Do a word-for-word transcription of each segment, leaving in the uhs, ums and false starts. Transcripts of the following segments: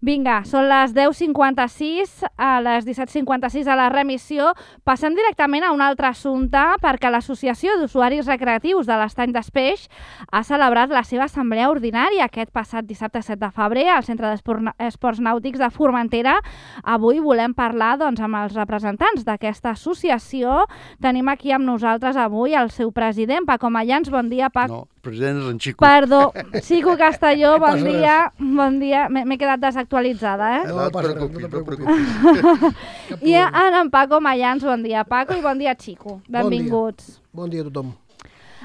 Vinga, són les deu cinquanta-sis, a les disset cinquanta-sis a la remissió. Passem directament a un altre assumpte perquè l'Associació d'Usuaris Recreatius de l'Estany d'Espeix ha celebrat la seva assemblea ordinària aquest passat dissabte set de febrer al Centre d'Esports Nàutics de Formentera. Avui volem parlar doncs, amb els representants d'aquesta associació. Tenim aquí amb nosaltres avui el seu president, Paco Mayans. Bon dia, Paco. No, president és en Xico. Perdó, Xico Castelló, bon dia. Bon dia, m'he quedat desactualitzada, eh? No, no et preocupis, no et preocupis. I ara en Paco Mayans, bon dia, Paco, i bon dia, Xico. Benvinguts. Bon dia a tothom.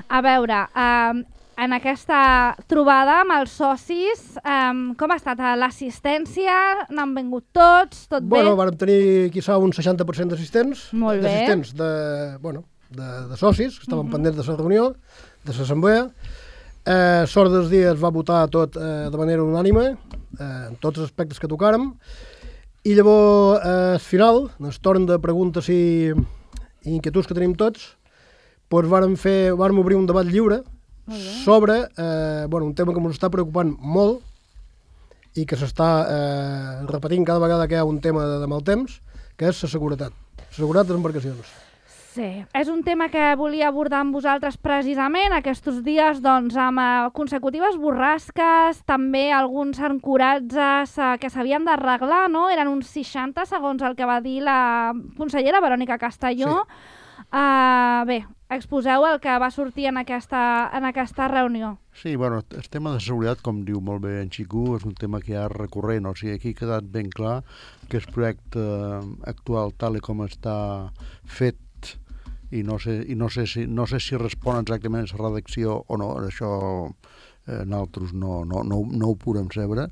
A veure, eh, en aquesta trobada amb els socis, eh, com ha estat l'assistència? N'han vingut tots? Tot bé? Bueno, vam tenir, quizà, un seixanta per cent d'assistents. Molt bé. D'assistents de, bueno, de, de socis, que estaven uh-huh. pendents de la reunió, de l'assemblea. Eh, sort dels dies es va votar tot eh, de manera unànime, eh, en tots els aspectes que tocàrem, i llavors, eh, al final, en el torn de preguntes i, i inquietuds que tenim tots, doncs vàrem, fer, vàrem obrir un debat lliure sobre eh, bueno, un tema que ens està preocupant molt i que s'està eh, repetint cada vegada que hi ha un tema de, de mal temps, que és la seguretat, la seguretat de les embarcacions. Sí, és un tema que volia abordar amb vosaltres precisament aquests dies, doncs, amb uh, consecutives borrasques, també alguns ancoratges uh, que s'havien d'arreglar, no? Eren uns seixanta, segons el que va dir la consellera Verònica Castelló. Sí. Uh, bé, exposeu el que va sortir en aquesta, en aquesta reunió. Sí, bueno, el tema de seguretat, com diu molt bé en Xico, és un tema que ja és recurrent, o sigui, aquí ha quedat ben clar que el projecte actual, tal com està fet, i no sé, i no sé, si, no sé si respon exactament a la redacció o no, això eh, nosaltres no, no, no, no ho podem saber.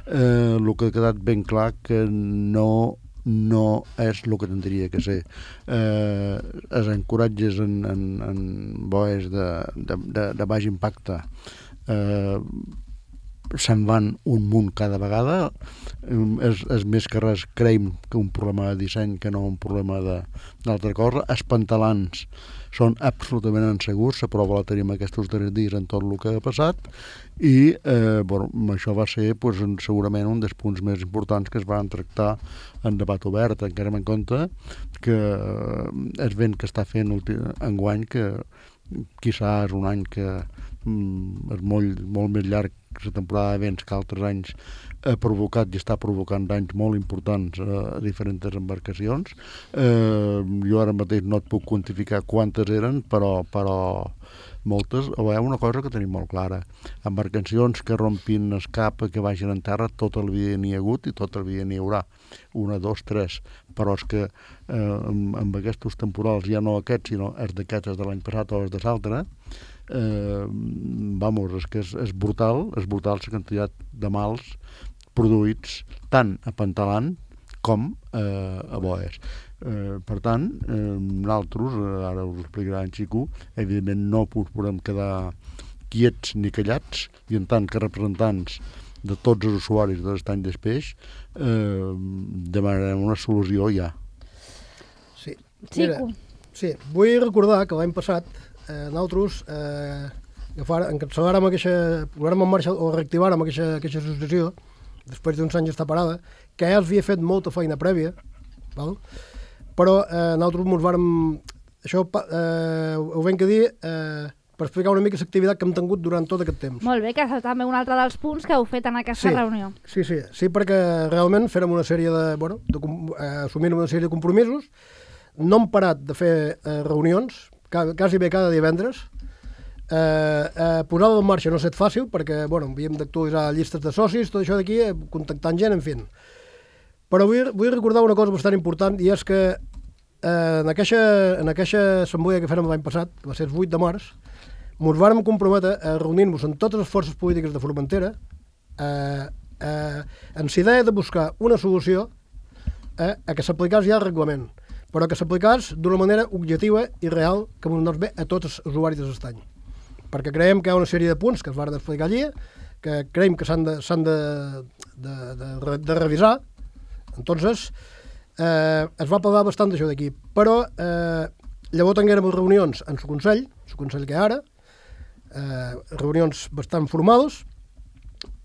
Eh, el que ha quedat ben clar que no, no és el que tindria que ser. Eh, els encoratges en, en, en boes de, de, de, de baix impacte eh, se'n van un munt cada vegada. És, és més que res, creiem, que un problema de disseny que no un problema d'altra cosa. Els pantalans són absolutament insegurs, la prova la tenim aquests darrers dies en tot el que ha passat, i eh, bueno, això va ser pues, segurament un dels punts més importants que es van tractar en debat obert, encara en compte que el vent que està fent enguany, que quizà és un any que mm, és molt, molt més llarg la temporada de vents que altres anys ha provocat i està provocant danys molt importants a diferents embarcacions. Eh, jo ara mateix no et puc quantificar quantes eren, però, però moltes. Hi ha una cosa que tenim molt clara. Embarcacions que rompin el cap, que vagin en terra, tot el dia n'hi ha hagut i tot el dia n'hi haurà. Una, dos, tres. Però és que eh, amb, amb aquests temporals, ja no aquests, sinó els d'aquests de l'any passat o els de l'altre, eh, vamos, és que és, és brutal, és brutal la quantitat de mals produïts tant a pantalant com eh, a boes. Eh, per tant, eh, nosaltres, ara us explicarà en Xico, evidentment no us podem quedar quiets ni callats, i en tant que representants de tots els usuaris de l'Estany d'Espeix, eh, demanarem una solució ja. Sí. Mira, sí, vull recordar que l'any passat eh, nosaltres eh, encapçalàrem aquesta, posàrem en marxa o reactivàrem aquesta, aquesta associació després d'uns anys d'estar parada, que ja els havia fet molta feina prèvia, val? Però eh, nosaltres ens vàrem, això eh, ho vam que dir eh, per explicar una mica l'activitat que hem tingut durant tot aquest temps. Molt bé, que és també un altre dels punts que heu fet en aquesta sí, reunió. Sí, sí, sí, perquè realment fèrem una sèrie de, bueno, de, eh, assumint una sèrie de compromisos, no hem parat de fer eh, reunions, quasi bé cada divendres. Eh, eh, posar-ho en marxa no ha estat fàcil perquè bueno, havíem d'actualitzar llistes de socis, tot això d'aquí, eh, contactant gent, en fi. Però vull, vull recordar una cosa bastant important, i és que eh, en, aquesta, en aquesta assemblea que fèrem l'any passat, que va ser el vuit de març, ens vàrem comprometre a reunir-nos amb totes les forces polítiques de Formentera eh, eh, amb la idea de buscar una solució eh, a que s'aplicés ja el reglament, però que s'aplicés d'una manera objectiva i real que ens anés bé a tots els usuaris de l'estany. Perquè creiem que hi ha una sèrie de punts que es van explicar allí, que creiem que s'han de, s'han de, de, de, de revisar. Entonces, eh, es va parlar bastant d'això d'aquí. Però eh, llavors tinguérem reunions en el Consell, el Consell que hi ha ara, eh, reunions bastant formals,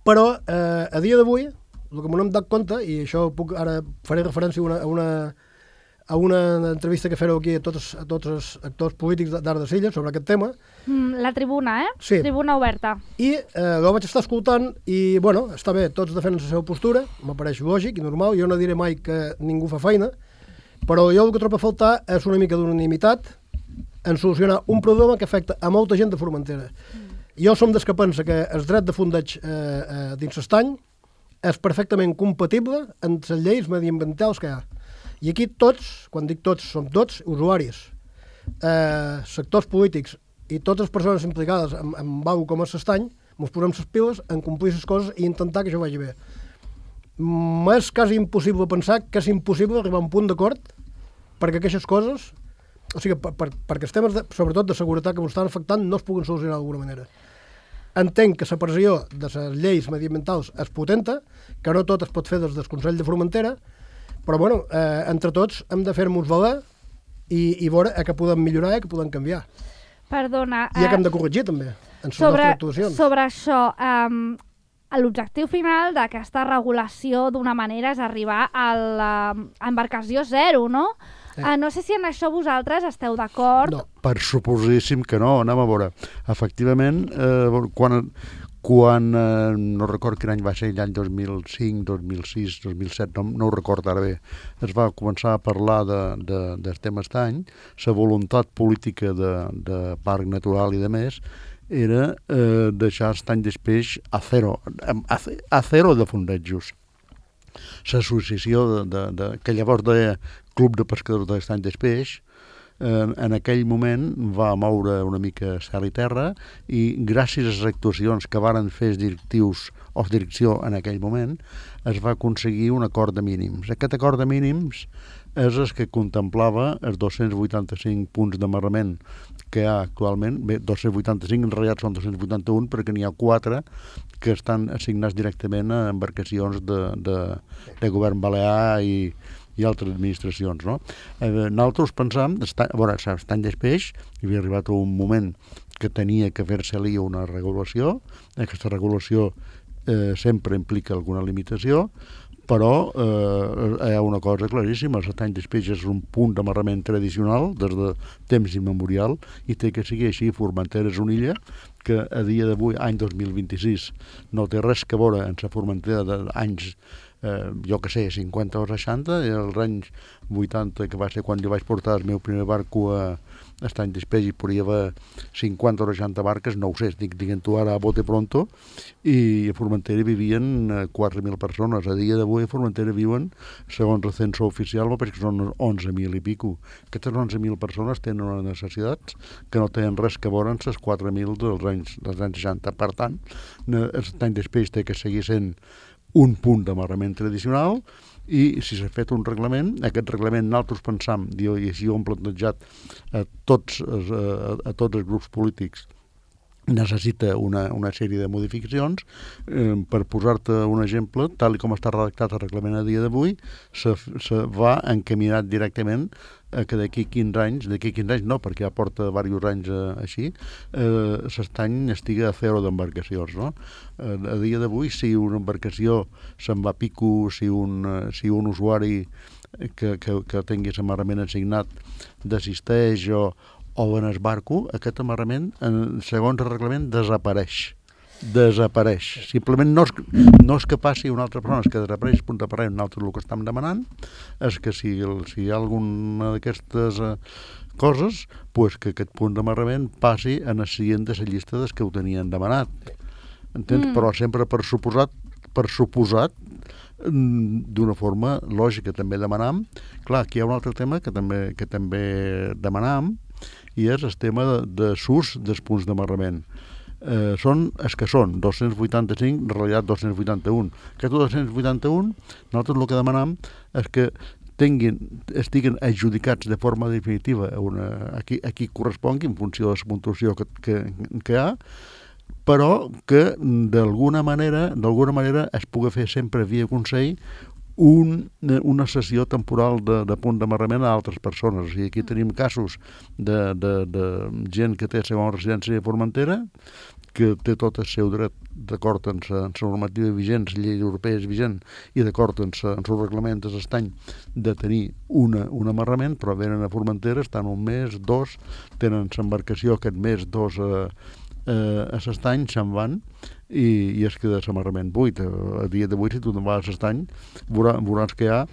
però eh, a dia d'avui el que m'ho hem dat compte, i això puc, ara faré referència a una, a una, a una entrevista que fareu aquí a tots, a tots els actors polítics d'Arc de Silla sobre aquest tema. Mm, la tribuna, eh? Sí. Tribuna oberta. I eh, ho vaig estar escoltant i, bueno, està bé, tots defenen la seva postura, m'apareix lògic i normal, jo no diré mai que ningú fa feina, però jo el que trobo a faltar és una mica d'unanimitat en solucionar un problema que afecta a molta gent de Formentera. Mm. Jo som des que pensa que el dret de fondeig eh, eh, dins l'estany és perfectament compatible amb les lleis mediambientals que hi ha. I aquí tots, quan dic tots, som tots usuaris, eh, sectors polítics i totes les persones implicades en, en algo com és l'estany, ens posem les piles en complir les coses i intentar que això vagi bé. M'és quasi impossible pensar que és impossible arribar a un punt d'acord perquè aquestes coses, o sigui, per, per, perquè els temes, de, sobretot de seguretat que ens estan afectant, no es puguen solucionar d'alguna manera. Entenc que la pressió de les lleis mediambientals és potenta, que no tot es pot fer des del Consell de Formentera, però bueno, eh, entre tots hem de fer-nos valer i, i veure a què podem millorar i a què podem canviar. Perdona. I a què hem eh, de corregir també, en les sobre, nostres actuacions. sobre això, um, l'objectiu final d'aquesta regulació d'una manera és arribar a l'embarcació zero, no? Sí. Uh, no sé si en això vosaltres esteu d'acord. No. Per suposíssim que no, anem a veure. Efectivament, eh, quan, quan eh, no record quin any va ser, l'any dos mil cinc, dos mil sis, dos mil set, no, no ho record ara bé, es va començar a parlar de, de, del tema estany, la voluntat política de, de parc natural i de més, era eh, deixar estany d'espeix a zero, a, a zero de fondejos. L'associació de, de, de, que llavors deia Club de Pescadors de l'Estany d'Espeix, eh, en aquell moment va moure una mica cel i terra i gràcies a les actuacions que varen fer els directius o la direcció en aquell moment es va aconseguir un acord de mínims. Aquest acord de mínims és el que contemplava els dos-cents vuitanta-cinc punts d'amarrament que hi ha actualment. Bé, dos-cents vuitanta-cinc en realitat són dos-cents vuitanta-un perquè n'hi ha quatre que estan assignats directament a embarcacions de, de, de govern balear i, i altres administracions, no? Eh, nosaltres pensàvem, a veure, l'estany d'Espeix hi havia arribat a un moment que tenia que fer-se-li una regulació. Aquesta regulació eh, sempre implica alguna limitació, però eh, hi ha una cosa claríssima, l'estany d'Espeix és un punt d'amarrament tradicional des de temps immemorial i té que seguir així. Formentera és una illa que a dia d'avui, any dos mil vint-i-sis, no té res que veure amb la Formentera d'anys, eh, jo que sé, cinquanta o seixanta, i els anys vuitanta, que va ser quan jo vaig portar el meu primer barco a Estany d'Espeix i podria haver cinquanta o seixanta barques, no ho sé, estic dient-ho ara a bote pronto, i a Formentera vivien quatre mil persones. A dia d'avui a Formentera viuen, segons el censo oficial, perquè són onze mil i pico. Aquestes onze mil persones tenen unes necessitats que no tenen res que veure amb les quatre mil dels anys, dels anys seixanta. Per tant, l'Estany d'Espeix té que seguir sent un punt d'amarrament tradicional i si s'ha fet un reglament, aquest reglament nosaltres pensam, i així ho hem plantejat a tots, a, a tots els grups polítics, necessita una, una sèrie de modificacions. Eh, per posar-te un exemple, tal com està redactat el reglament a dia d'avui, se, se va encaminat directament a que d'aquí quinze anys, d'aquí quinze anys no, perquè ja porta diversos anys eh, així, eh, l'estany estigui a zero d'embarcacions, no? Eh, a dia d'avui, si una embarcació se'n va a pico, si un, eh, si un usuari que, que, que tingui l'amarrament assignat desisteix o o en el barco, aquest amarrament, segons el reglament, desapareix. Desapareix. Simplement no és, no és que passi una altra persona, és que desapareix punt d'aparell. Nosaltres el que estem demanant és que si, el, si hi ha alguna d'aquestes eh, coses, pues que aquest punt d'amarrament passi en el següent de la llista dels que ho tenien demanat. Entens? Mm. Però sempre per suposat, per suposat, d'una forma lògica també demanam. Clar, aquí hi ha un altre tema que també, que també demanam, i és el tema de, de s'ús dels punts d'amarrament. Eh, són els que són, dos-cents vuitanta-cinc, en realitat dos-cents vuitanta-un. Aquests dos-cents vuitanta-un, nosaltres el que demanam és que tinguin, estiguen adjudicats de forma definitiva a, una, a, qui, a qui correspongui en funció de la puntuació que, que, que hi ha, però que d'alguna manera, d'alguna manera es pugui fer sempre via Consell un, una sessió temporal de, de punt d'amarrament a altres persones. O sigui, aquí tenim casos de, de, de gent que té segona residència a Formentera, que té tot el seu dret d'acord amb la normativa vigent, la llei europea és vigent, i d'acord amb el seu reglament de l'estany de tenir una, un amarrament, però venen a Formentera, estan un mes, dos, tenen l'embarcació aquest mes, dos a, a, a l'estany, se'n van, i, i es queda l'amarrament buit. A dia d'avui, si tu te'n vas a l'estany, veurà, veuràs que hi ha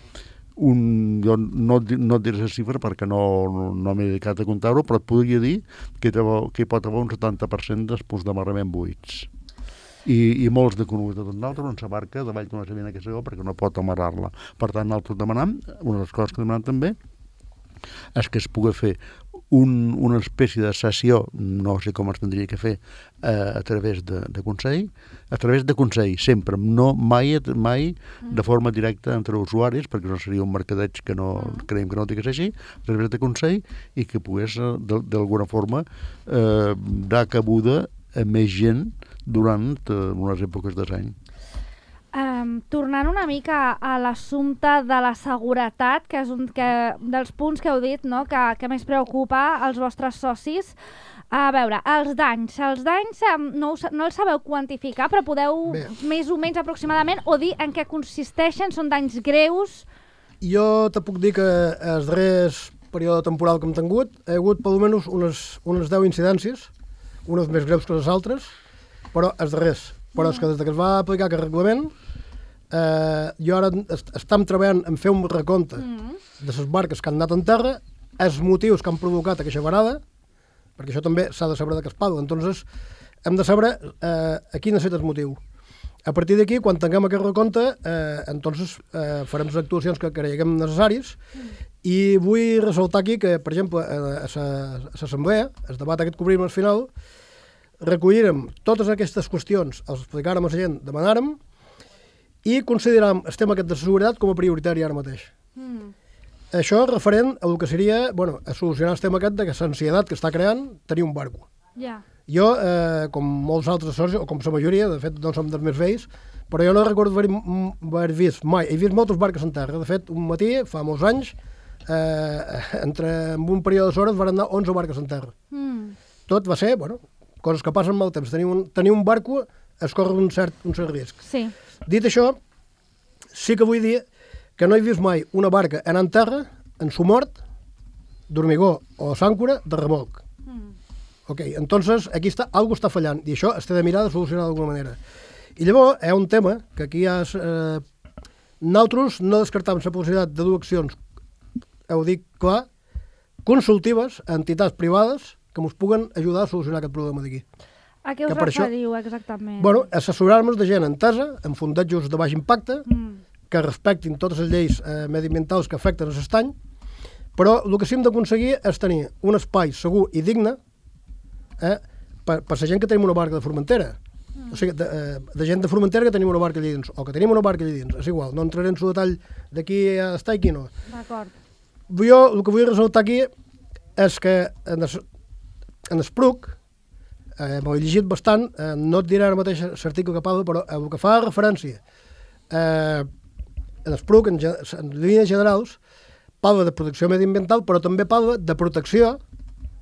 un, jo no, no et diré la xifra perquè no, no, no m'he dedicat a comptar-ho, però et podria dir que, te, que hi pot haver un setanta per cent dels punts d'amarrament buits. I, i molts de coneguts de tot l'altre on s'abarca davall d'una sabina que segó perquè no pot amarrar-la. Per tant, nosaltres demanam, una de les coses que demanem també és que es pugui fer un, una espècie de sessió, no sé com es tindria que fer, eh, a través de, de Consell, a través de Consell, sempre, no mai, mai de forma directa entre usuaris, perquè no seria un mercadeig que no creiem que no té que ser així, a través de Consell, i que pogués, d'alguna forma, eh, dar cabuda a més gent durant eh, unes èpoques de l'any. Um, tornant una mica a l'assumpte de la seguretat, que és un que, dels punts que heu dit, no? que, que més preocupa als vostres socis. A veure, els danys. Els danys um, no, us, no els sabeu quantificar, però podeu Bé. més o menys aproximadament o dir en què consisteixen, són danys greus? Jo te puc dir que el darrers període temporal que hem tingut hi ha hagut per almenys unes, unes deu incidències, unes més greus que les altres, però els darrers. Però és que des que es va aplicar aquest reglament, eh, jo ara est estem treballant en fer un recompte mm. de les barques que han anat en terra, els motius que han provocat aquesta varada, perquè això també s'ha de saber de què es parla. Entonces, hem de saber eh, a quin ha estat el motiu. A partir d'aquí, quan tinguem aquest recompte, eh, entonces, eh, farem les actuacions que creguem necessàries, mm. i vull ressaltar aquí que, per exemple, a l'assemblea, el debat aquest que obrim al final, recollirem totes aquestes qüestions, els explicàrem a la gent, demanàrem, i consideràrem el tema aquest de seguretat com a prioritari ara mateix. Mm. Això referent a el que seria, bueno, a solucionar el tema aquest de l'ansietat que està creant tenir un barco. Yeah. Jo, eh, com molts altres socis, o com la majoria, de fet no som dels més vells, però jo no recordo haver, haver vist mai, he vist moltes barques en terra. De fet, un matí, fa molts anys, eh, entre en un període d'hores van anar onze barques en terra. Mm. Tot va ser, bueno, coses que passen molt temps. Tenir un, tenir un barco es corre un cert, un cert risc. Sí. Dit això, sí que vull dir que no he vist mai una barca anar en terra, en sumort, d'hormigó o s'àncora, de remolc. Mm. Ok, entonces aquí està, algo està fallant, i això es té de mirar de solucionar d'alguna manera. I llavors hi ha un tema que aquí hi ha... Eh, nosaltres no descartàvem la possibilitat de dues accions, ho dic clar, consultives a entitats privades que ens puguen ajudar a solucionar aquest problema d'aquí. A què us referiu exactament? Bueno, assessorar-nos de gent entesa, amb fundejos de baix impacte, mm. que respectin totes les lleis eh, mediambientals que afecten l'estany, però el que sí hem d'aconseguir és tenir un espai segur i digne eh, per, per la gent que tenim una barca de Formentera. Mm. O sigui, de, eh, de gent de Formentera que tenim una barca allà dins, o que tenim una barca allà dins, és igual, no entraré en el detall d'aquí a estar i aquí no. D'acord. Jo el que vull ressaltar aquí és que en el, en el Spruc, eh, m'ho he llegit bastant, eh, no et diré ara mateix l'article que parla, però el que fa referència eh, en el Spruc, en, en línies generals, parla de protecció mediambiental, però també parla de protecció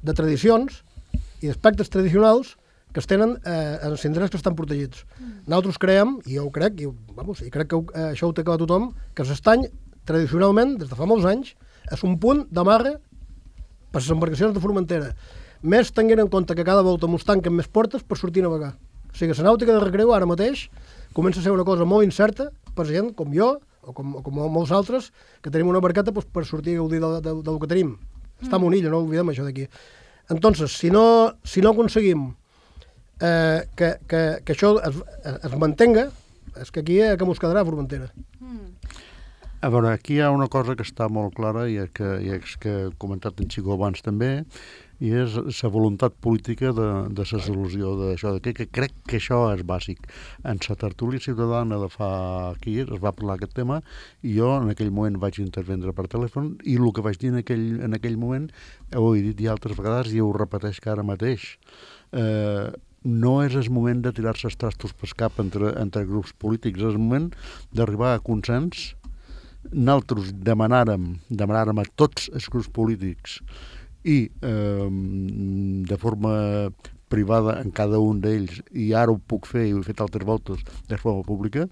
de tradicions i d'aspectes tradicionals que es tenen eh, en els indrets que estan protegits. Mm. Nosaltres creiem, i jo ho crec, i, vamos, i crec que eh, això ho té clar tothom, que l'estany, tradicionalment, des de fa molts anys, és un punt d'amarre per les embarcacions de Formentera. Més tenint en compte que cada volta ens tanquen més portes per sortir a navegar. O sigui, la nàutica de recreu ara mateix comença a ser una cosa molt incerta per gent com jo o com, o com molts altres que tenim una barqueta pues, per sortir a gaudir del, del, del que tenim. Mm. Està en una illa, no oblidem això d'aquí. Entonces, si no, si no aconseguim eh, que, que, que això es, es mantenga, és que aquí eh, que mos quedarà a Formentera. Mm. A veure, aquí hi ha una cosa que està molt clara i que, i és que he comentat en Xicó abans també, i és la voluntat política de, de la solució d'això, que, que crec que això és bàsic. En la tertúlia ciutadana de fa aquí es va parlar aquest tema i jo en aquell moment vaig intervendre per telèfon i el que vaig dir en aquell, en aquell moment ho he dit ja altres vegades i ho repeteix que ara mateix. Eh, no és el moment de tirar-se els trastos pel cap entre, entre grups polítics, és el moment d'arribar a consens nosaltres demanàrem, demanàrem a tots els grups polítics i eh, de forma privada en cada un d'ells, i ara ho puc fer i ho he fet altres voltes de forma pública,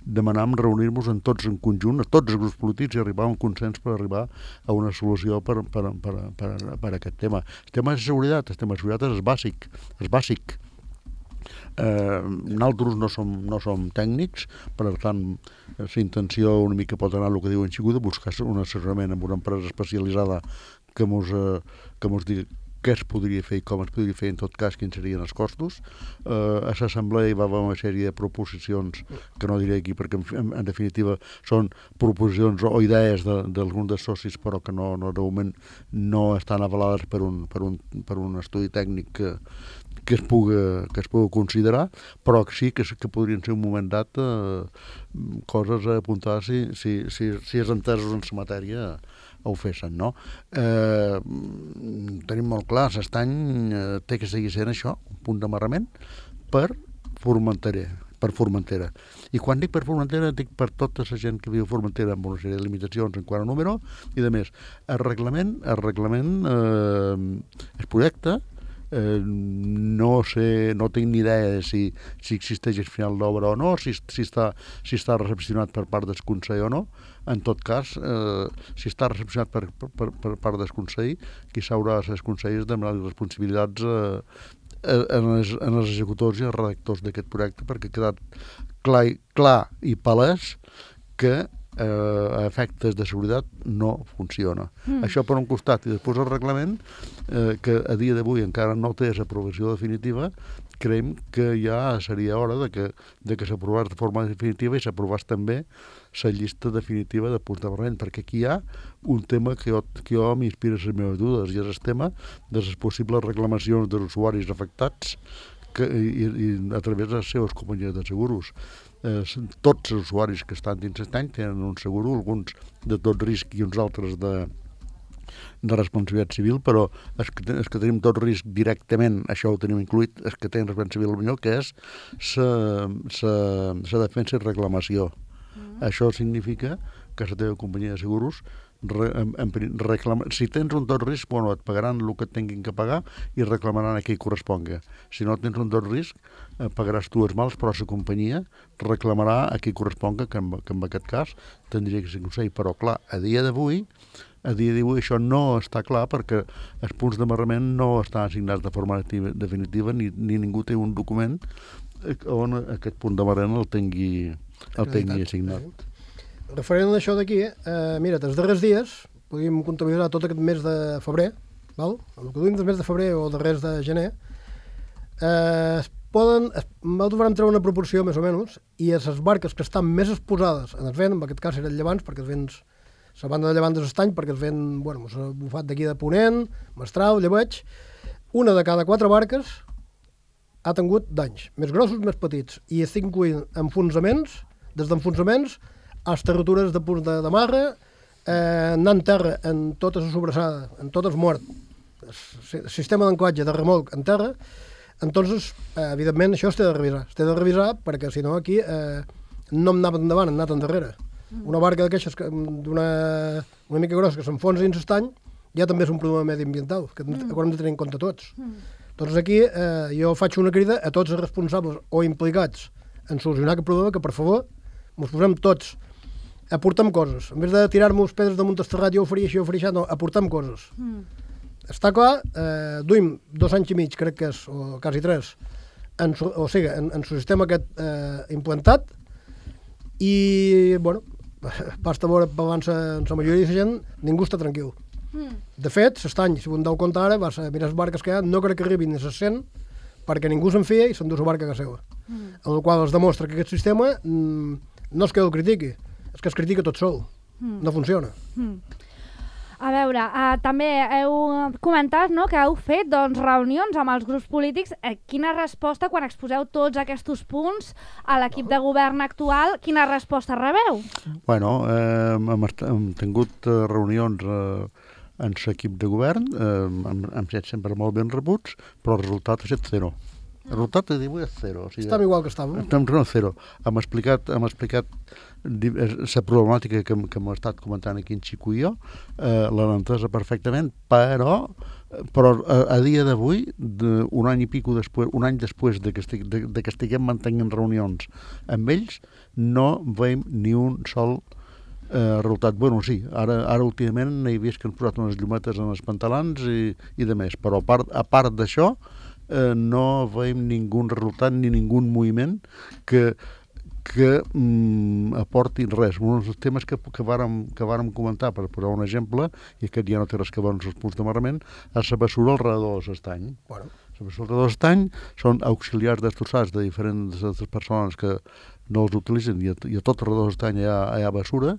demanàvem reunir-nos en tots en conjunt, a tots els grups polítics, i arribar a un consens per arribar a una solució per, per, per, per, per a aquest tema. El tema de seguretat, el tema de seguretat és bàsic, és bàsic. Eh, nosaltres no som, no som tècnics, per tant, la intenció una mica pot anar el que diuen Xiguda, buscar un assessorament amb una empresa especialitzada que mos, eh, que mos digui què es podria fer i com es podria fer, en tot cas, quins serien els costos. Eh, a l'assemblea hi va haver una sèrie de proposicions, que no diré aquí perquè, en, en definitiva, són proposicions o idees d'alguns de, dels socis, però que no, no, de moment no estan avalades per un, per un, per un estudi tècnic que, que, es puga, que es pugui considerar, però sí que, que podrien ser un moment dat eh, coses a apuntar si, si, si, si és entesos en la matèria ho fessin, no? Eh, tenim molt clar, l'estany eh, té que seguir sent això, un punt d'amarrament per Formentera, per Formentera. I quan dic per Formentera, dic per tota la gent que viu a Formentera amb una sèrie de limitacions en quant a número, i de més. El reglament, el reglament, eh, el projecte, Eh, no sé, no tinc ni idea de si, si existeix el final d'obra o no, si, si, està, si està recepcionat per part del Consell o no. En tot cas, eh, si està recepcionat per, per, per part del Consell, qui s'haurà de ser el Consell és demanar les responsabilitats eh, en, els, en els executors i els redactors d'aquest projecte, perquè ha quedat clar, clar i palès que eh, a efectes de seguretat no funciona. Mm. Això per un costat, i després el reglament, eh, que a dia d'avui encara no té l'aprovació definitiva, creiem que ja seria hora de que, de que s'aprovés de forma definitiva i s'aprovés també la llista definitiva de punts d'amarrament, perquè aquí hi ha un tema que jo, que jo m'inspira les meves dudes, i és el tema de les possibles reclamacions dels usuaris afectats que, i, i a través de les seves companyies de seguros. Eh, tots els usuaris que estan dins l'estany tenen un seguro, alguns de tot risc i uns altres de, de responsabilitat civil, però els que, els que tenim tot risc directament, això ho tenim incluït, els que tenen responsabilitat civil millor, que és la defensa i reclamació. Mm. Això significa que la teva companyia de seguros Re, en, en, reclama, si tens un tot risc, bueno, et pagaran el que et tinguin que pagar i reclamaran a qui corresponga. Si no tens un tot risc, eh, pagaràs tu els mals, però la companyia reclamarà a qui corresponga, que en, que en aquest cas tindria que ser consell. Però clar, a dia d'avui a dia d'avui això no està clar perquè els punts d'amarrament no estan assignats de forma definitiva ni, ni ningú té un document on aquest punt d'amarrament el tingui, el tingui assignat. Referent a això d'aquí, eh, mira, els darrers dies, podríem comptabilitzar tot aquest mes de febrer, val? El que duim del mes de febrer o darrers de gener, eh, es poden, es, nosaltres vam treure una proporció més o menys, i les barques que estan més exposades en el vent, en aquest cas eren llevants, perquè els vents, la banda de llevant de l'estany, perquè el vent, bueno, s'ha bufat d'aquí de Ponent, Mestral, Llebeig, una de cada quatre barques ha tingut danys, més grossos, més petits, i estic incloent enfonsaments, des d'enfonsaments a les rotures de punts de, de marra, eh, anant terra en tota la sobrassada, en tot el mort, el sistema d'anclatge de remolc en terra. Entonces, eh, evidentment, això es té de revisar. Es té de revisar perquè, si no, aquí eh, no hem anat endavant, hem anat endarrere. Una barca d'aquestes d'una una mica grossa que s'enfonsa dins l'estany ja també és un problema mediambiental, que mm. hem de tenir en compte tots. Mm. Doncs aquí eh, jo faig una crida a tots els responsables o implicats en solucionar aquest problema, que per favor ens posem tots, aportem coses. En vez de tirar-nos pedres damunt el terrat, jo ho faria així, jo ho faria això, no, aportem coses. Mm. Està clar, eh, duim dos anys i mig, crec que és, o quasi tres, en, o sigui, en, en el sistema aquest eh, implantat, i, bueno, basta veure abans en la majoria de la gent, ningú està tranquil. Mm. De fet, l'estany, si ho en deu compte ara, vas a mirar les barques que hi ha, no crec que arribin ni les cent, perquè ningú se'n fia i s'endú la barca que seva. Mm. En el qual es demostra que aquest sistema mm, no és que el critiqui, és que es critica tot sol. Mm. No funciona. Mm. A veure, uh, també heu comentat, no, que heu fet doncs, reunions amb els grups polítics. Eh, quina resposta, quan exposeu tots aquests punts a l'equip de govern actual, quina resposta rebeu? Bueno, eh, hem, hem tingut uh, reunions uh, en l'equip de govern, eh, hem, hem set sempre molt ben rebuts, però el resultat ha estat zero. El resultat de divuit és zero. O sigui, estem igual que estàvem. Estem a zero. Hem explicat, hem explicat la problemàtica que, que hem estat comentant aquí en Xico i jo, eh, l'han entesa perfectament, però, però a, a dia d'avui, de, un any i pico després, un any després de que, estic, de, de que estiguem mantenint reunions amb ells, no veiem ni un sol eh, resultat. Bueno, sí, ara, ara últimament he vist que han posat unes llumetes en els pantalons i, i de més, però a part, a part d'això, Eh, no veiem ningú resultat ni ningú moviment que, que mm, aporti res. Un dels temes que, que, vàrem, que vàrem comentar, per posar un exemple, i aquest ja no té res que veure amb els punts d'amarrament, és la bessura al redador de l'estany. Bueno. La bessura al redador de l'estany són auxiliars destrossats de diferents de persones que no els utilitzen i a, i a tot el redador de l'estany hi ha, hi ha bessura.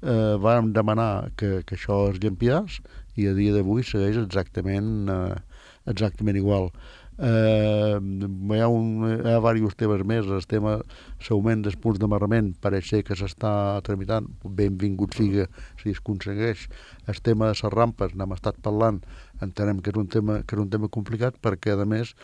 Eh, vàrem demanar que, que això es llampiàs i a dia d'avui segueix exactament, eh, exactament igual. Eh, hi ha, un, hi ha diversos temes més. El tema l'augment dels punts d'amarrament pareix ser que s'està tramitant, benvingut siga si es aconsegueix. El tema de les rampes, n'hem estat parlant, entenem que és un tema, que és un tema complicat perquè a més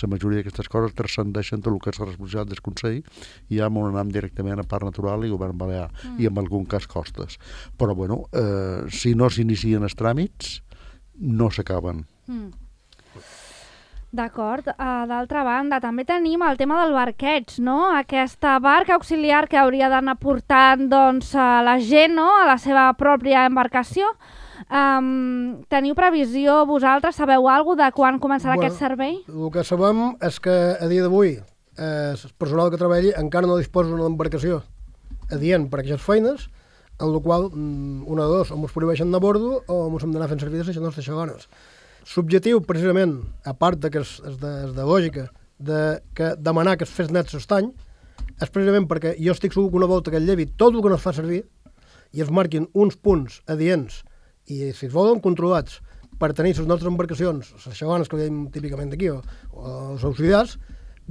la majoria d'aquestes coses transcendeixen tot el que és la responsabilitat del Consell i ja m'ho anem directament a Parc Natural i Govern Balear mm. i en algun cas costes. Però bueno, eh, si no s'inicien els tràmits no s'acaben. Mm. D'acord. Uh, d'altra banda, també tenim el tema del barqueig, no? Aquesta barca auxiliar que hauria d'anar portant doncs, a la gent, no? A la seva pròpia embarcació. Um, teniu previsió, vosaltres sabeu alguna de quan començarà bueno, aquest servei? El que sabem és que a dia d'avui eh, el personal que treballi encara no disposa d'una embarcació adient per a aquestes feines, en la qual una de dos, o ens prohibeixen de bordo o ens hem d'anar fent servir de les nostres segones. L'objectiu, precisament, a part de que és, és, de, és de lògica, de que demanar que es fes net l'estany, és precisament perquè jo estic segur que una volta que el llevi tot el que no es fa servir i es marquin uns punts adients i, si es volen, controlats per tenir les nostres embarcacions, les segones que veiem típicament d'aquí, o, o els auxiliars,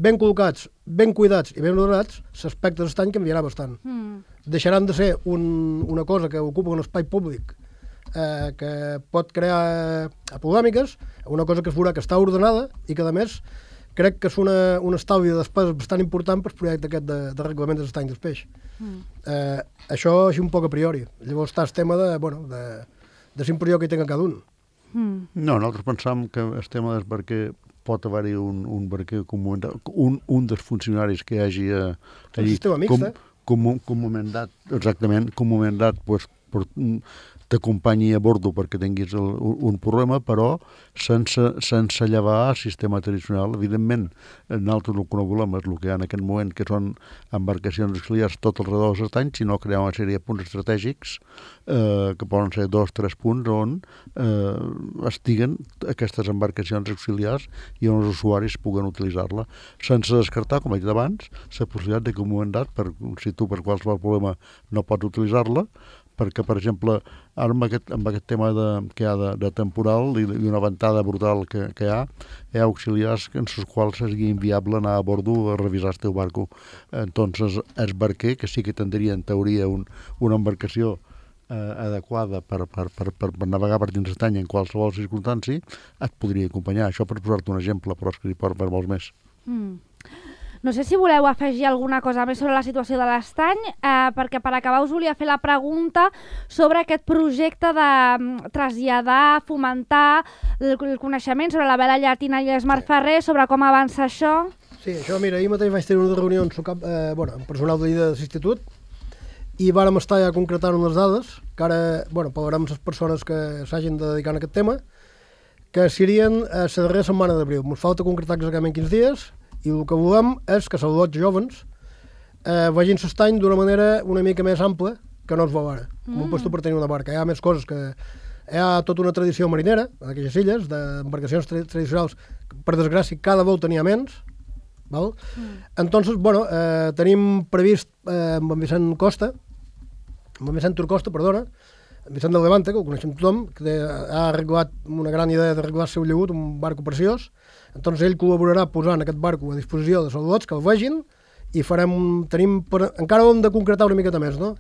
ben col·locats, ben cuidats i ben ordenats, l'aspecte de l'estany canviarà bastant. Mm. Deixaran de ser un, una cosa que ocupa un espai públic Eh, que pot crear eh, polèmiques, una cosa que es veurà que està ordenada i que, a més, crec que és una, un estalvi de despesa bastant important per el projecte aquest de, de reglament dels estanys del peix. Mm. Eh, això és un poc a priori. Llavors està el tema de, bueno, de, de l'impressió que hi tenga cada un. Mm. No, nosaltres pensam que el tema del barquer pot haver-hi un, un barquer un, un dels funcionaris que hi hagi eh, allí, com, com, com un mandat, exactament, com un mandat pues, per, t'acompanyi a bordo perquè tinguis el, un problema, però sense, sense llevar el sistema tradicional. Evidentment, nosaltres el que no volem és el que hi ha en aquest moment, que són embarcacions auxiliars tot al redor dels estanys, sinó crear una sèrie de punts estratègics, eh, que poden ser dos o tres punts, on eh, estiguen aquestes embarcacions auxiliars i on els usuaris puguen utilitzar-la, sense descartar, com he dit abans, la possibilitat de que un moment dat, per, si tu per qualsevol problema no pots utilitzar-la, perquè, per exemple, ara amb aquest, amb aquest tema de, que hi ha de, de temporal i, i una ventada brutal que, que hi ha, hi ha auxiliars en els quals seria inviable anar a bordo a revisar el teu barco. Entonces, el barquer, que sí que tindria en teoria un, una embarcació eh, adequada per, per, per, per, per navegar per dins l'estany en qualsevol circumstància, et podria acompanyar. Això per posar-te un exemple, però és que hi pot per molts més. Mm. No sé si voleu afegir alguna cosa més sobre la situació de l'estany, eh, perquè per acabar us volia fer la pregunta sobre aquest projecte de traslladar, fomentar el, el coneixement sobre la vela llatina i l'Esmart Ferrer, sobre com avança això. Sí, això, mira, ahir mateix vaig tenir una reunió amb, cap, eh, bueno, amb personal de l'institut i vàrem estar ja concretant unes dades que ara, bueno, parlarem amb les persones que s'hagin de dedicar a aquest tema, que serien a la darrera setmana d'abril. Ens falta concretar exactament quins dies, i el que volem és que els adults jovens eh, vegin l'estany d'una manera una mica més ampla que no es veu ara, com mm. un puesto per tenir una barca. Hi ha més coses, que hi ha tota una tradició marinera, en aquelles illes, d'embarcacions tra tradicionals, per desgràcia, cada volta n'hi ha menys, val? Mm. Entonces, bueno, eh, tenim previst eh, amb en Vicent Costa, amb en Vicent Turcosta, perdona, en Vicent del Levante, que ho coneixem tothom, que ha arreglat una gran idea d'arreglar el seu llegut, un barco preciós. Entonces ell col·laborarà posant aquest barco a disposició de saludats que el vegin i farem, tenim, per, encara ho hem de concretar una miqueta més, no?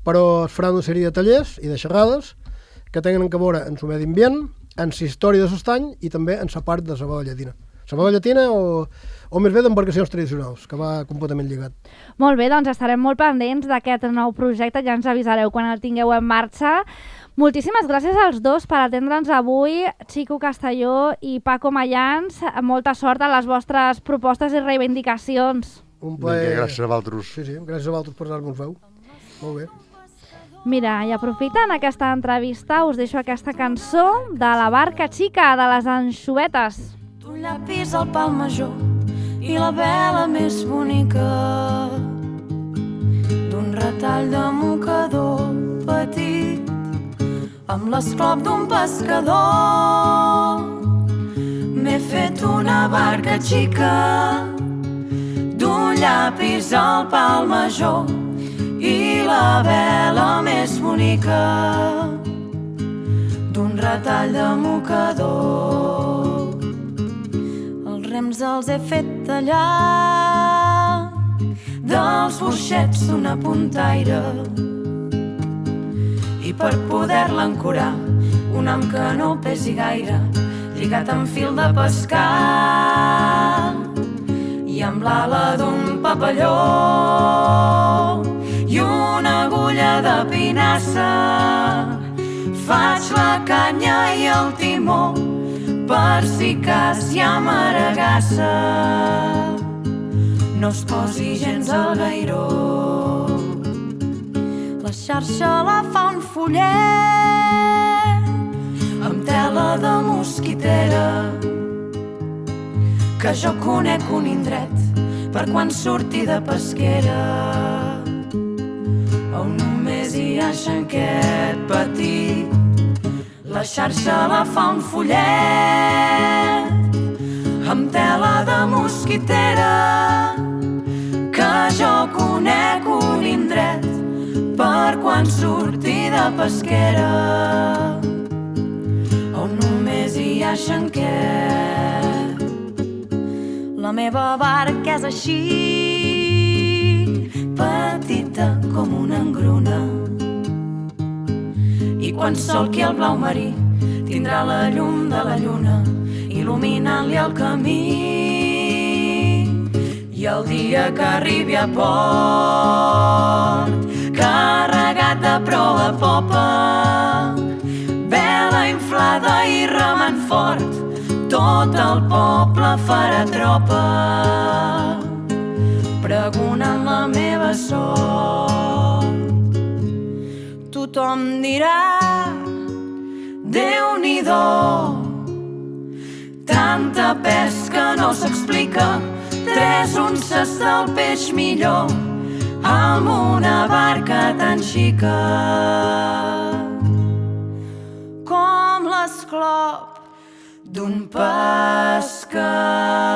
Però es farà una sèrie de tallers i de xerrades que tenen que veure en el medi ambient, en la història de l'estany i també en la part de la vela llatina. se'n va de llatina o, o més bé d'embarcacions tradicionals, que va completament lligat. Molt bé, doncs estarem molt pendents d'aquest nou projecte, ja ens avisareu quan el tingueu en marxa. Moltíssimes gràcies als dos per atendre'ns avui, Xico Castelló i Paco Mayans. Molta sort a les vostres propostes i reivindicacions. Un plaer. Vinga, gràcies a vosaltres. Sí, sí, gràcies a vosaltres per donar-nos veu. Molt bé. Mira, i aprofitant aquesta entrevista us deixo aquesta cançó de la Barca Xica, de les Anxovetes. Un llapis al pal major i la vela més bonica d'un retall de mocador petit amb l'esclop d'un pescador. M'he fet una barca xica d'un llapis al pal major i la vela més bonica d'un retall de mocador. Els rems els he fet tallar dels forxets d'una puntaire i per poder-la ancorar un ham que no pesi gaire lligat amb fil de pescar i amb l'ala d'un papalló i una agulla de pinassa faig la canya i el timó per si cas hi ha maregassa no es posi gens al gairó. La xarxa la fa un follet amb tela de mosquitera que jo conec un indret per quan surti de pesquera on només hi ha xanquet petit. La xarxa la fa un follet amb tela de mosquitera que jo conec un indret per quan surti de pesquera on només hi ha xanquet. La meva barca és així, petita com una engruna i quan solqui el blau marí tindrà la llum de la lluna il·luminant-li el camí i el dia que arribi a port carregat de proa a popa vela inflada i remant fort tot el poble farà tropa pregonant la meva sort. Tothom dirà Déu-n'hi-do, tanta pesca no s'explica, tres unces del peix millor amb una barca tan xica com l'esclop d'un pescador.